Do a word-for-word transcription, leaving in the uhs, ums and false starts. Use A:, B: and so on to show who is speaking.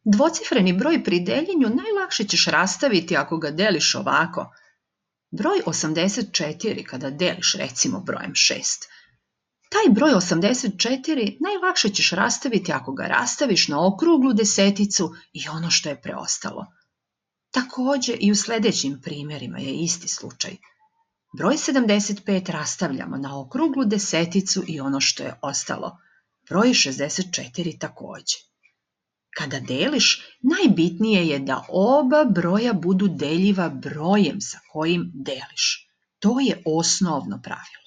A: Dvocifreni broj pri deljenju najlakše ćeš rastaviti ako ga deliš ovako. Broj osamdeset četiri kada deliš recimo brojem šest. Taj broj osamdeset četiri najlakše ćeš rastaviti ako ga rastaviš na okruglu deseticu i ono što je preostalo. Također i u sljedećim primjerima je isti slučaj. Broj sedamdeset pet rastavljamo na okruglu deseticu i ono što je ostalo. Broj šezdeset četiri također. Kada deliš, najbitnije je da oba broja budu deljiva brojem sa kojim deliš. To je osnovno pravilo.